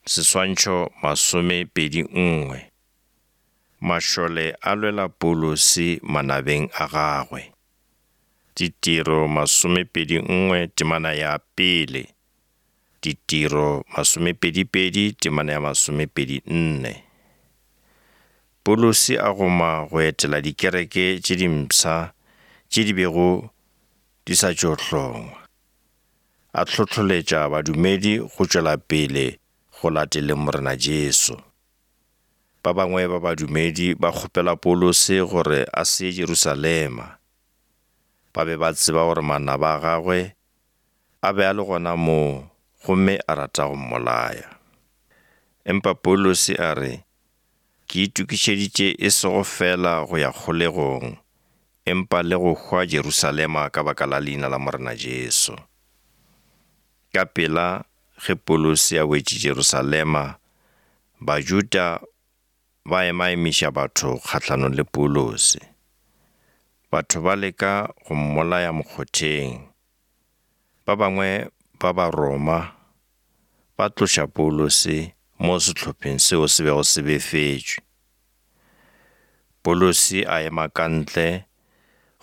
Seswantšho 21. Mašole a lwela Paulose manabeng a gagwe. Ditiro 21 temana ya pele, Ditiro 22 temana ya 24. Paulose a goma go etela dikereke tše dimpsha tše di bego di sa tšo hlongwa. A hlohloletša badumedi go tšwela pele go lateleng Morena Jesu. Ba bangwe ba badumedi ba kgopela Paulose gore a se ye Jerusalema. Ba be ba tseba gore manaba a gagwe a be a le gona moo gomme a rata go mmolaya. Empa Paulose a re, Ke itokišeditše e sego feela go ya kgolegong, empa le go hwa Jerusalema ka baka la leina la Morena Jesu. Ka pela ge Paulose a wetše Jerusalema, Bajuda ba emaemiša batho kgahlanong le Paulose. Batho ba leka go mmolaya mokgotheng. Ba bangwe ba Baroma ba tloša Paulose mo sehlopheng seo se bego se befetšwe. Paulose a ema ka ntle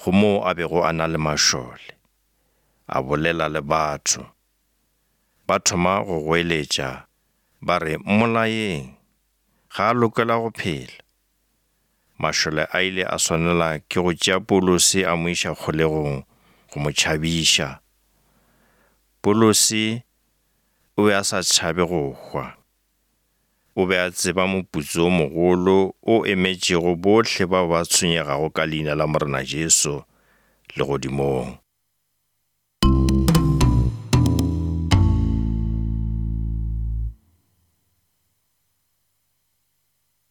go moo a bego a na le mašole, a bolela le batho. Ba thoma go goeletša ba re, Mmolayeng! Ga a lokela go phela! Mašole a ile a swanela ke go tšea Paulose a mo iša kgolegong go mo tšhabiša. Paulose o be a sa tšhabe go hwa. O be a tseba moputso o mogolo o emetšego bohle bao ba tshwenyegago ka leina la Morena Jesu legodimong.